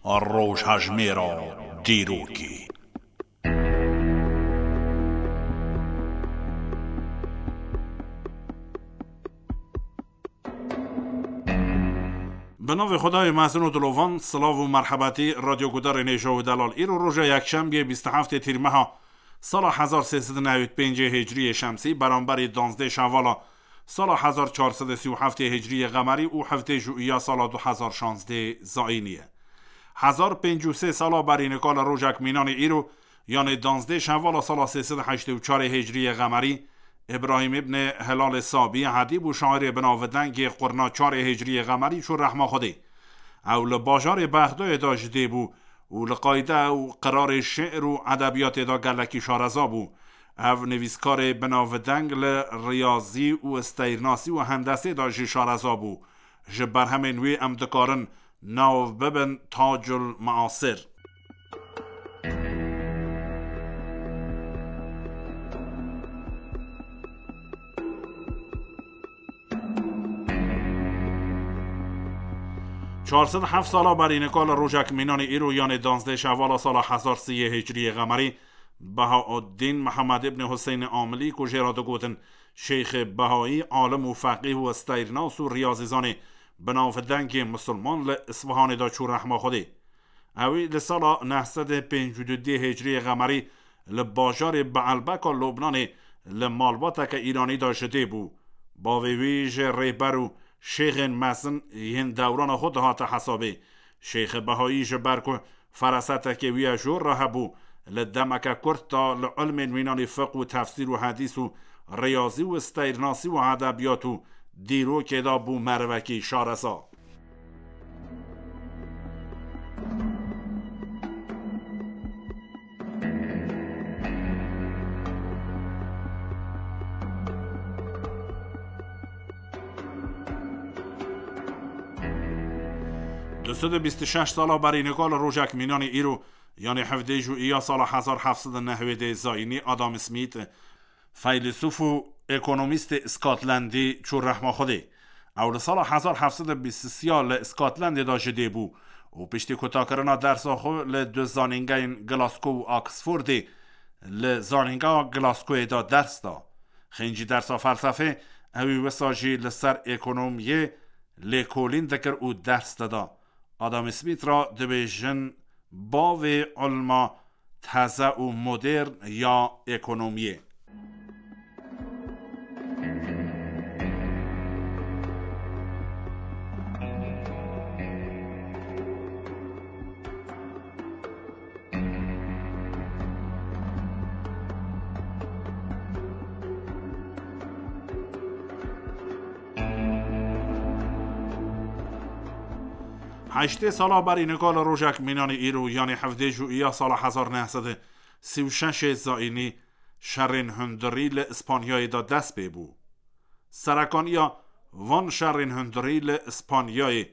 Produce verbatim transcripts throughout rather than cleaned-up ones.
Rojhejmêra dîrokê. Bi navê Xwedayê mezin û dilovan, silav û merhebetî radyogudarên hêja û delal. Îro roja yekşembiyê bîst û heftê tîrmeha sala hezar sê sed û newî pêncê hicriyê şemsî, beramberî danzdê şevala sala hezar çar sed û sî û heftê hicriyê qemerî û hevdê jûiya sala du hezar şazdê zayînî ye. Hezar pêncî û sê sala berî nika li rojek mînanê îro, yanê danzdê şevala sala sê sed û heştê û çarê hicriyê qemerî, Îbrahîm îbnê Hilalê Sabî, edîb û şairê binavdengê qurna çarê hicriyê qemerî çû rehma Xwedê. Ew li bajarê Bexdayê de ji dê bû û li qayde û qirarê şi'r û edebiyatê de gelekî şareza bû. Ev nivîskarê binavdeng li riyazî û steyrnasî û hendesê de jî şareza bû. Ji berhemên wî em dikarin nav bibin Tacul Maasir. Çar sed heft sala berî nika li rojek mînanê îro, yanê danzdê şevala sala hezar siyê hicriyê qemerî, Behaeddîn Mihemed îbnê Huseynê Amilî, ku jê re digotin Şeyxê Behayî, alim û feqîh û steyrnas û riyazîzanê binavdengê misilman, li Isfahanê de çû rehma Xwedê. Ewî li sala neh sed û pêncî û du hicriyê qemerî li bajarê Beelbeka Lubnanê li malbateke Îranî de ji dê bû. Bavê wî ji rêber û şêxên mezin yên dewrana xwe dihate hesabê. Şêxê Behayî ji ber ku ferasetekê wî ya jor re hebû, li demeke kurt de li ilmên mînanî fiqh û tefsîr û hedîs û riyazî û steyrnasî û edebiyat û dîrokê de bû merivekî şareza. Du sed û bîst û şeş sala berî nika li rojek mînanê îro, yanê hevdê jûiya sala hezar heft sed û nehwêdê zayînî, Adam Smith, feylesûf û ekonomîstê Scotlandî, çû rehma Xwedê. Ew li sala hezar heft sed û bîst û sê li Scotlandê de ji dê bû û piştî kutakirina dersa xwe li du zanîngehên Glasgow û Oxfordê, li zanîngeha Glasgowê de ders da. Xêncî dersa felsefê, ewî wisa jî li ser ekonomiyê lêkolîn dikir û ders dida. Adam Smith re dibêjin bavê ilma teze û modern ya ekonomiyê. Heştê sala berî nika li rojek mînanê îro, yanê hevdê jûiya sala hezar neh sed û sî û şeşê zayînî, şerên hundirî li Îspanyayê de dest pê bû. Serekaniya van şerên hundirî li Îspanyayê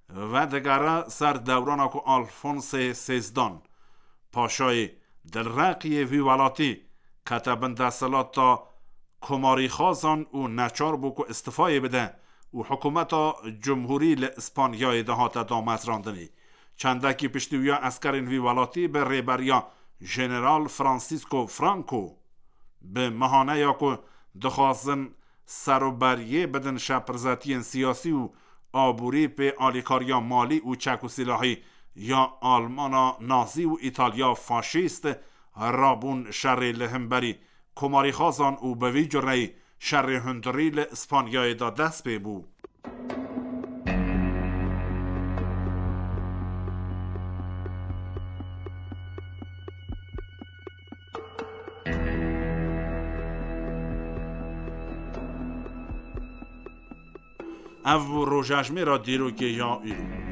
vedigere ser dewrana ku Alfonsê Sêzdan, paşayê dilreqiyê vî welatî, kete bin desthilata komarîxazan û neçar bû ku îstifayê bide û hikûmeta cumhurî li Îspanyayê de hate damezrandinê. Çendekî piştî wî ya eskerên vî welatî bi rêberiya Jeneral Francisco Franco, bi mihaneya ku dixwazin seroberiyê bidin şepirzetiyên siyasî û aborî pê alîkariya malî û çek û sîlahî ya Almana nazî û Îtalya faşîst, rabûn şerê li hemberî komarîxazan û bi vî cureyî şerê hundirî li Îspanyayê de dest pê bû. Ev bû rojejmêra dîrokê ya îro.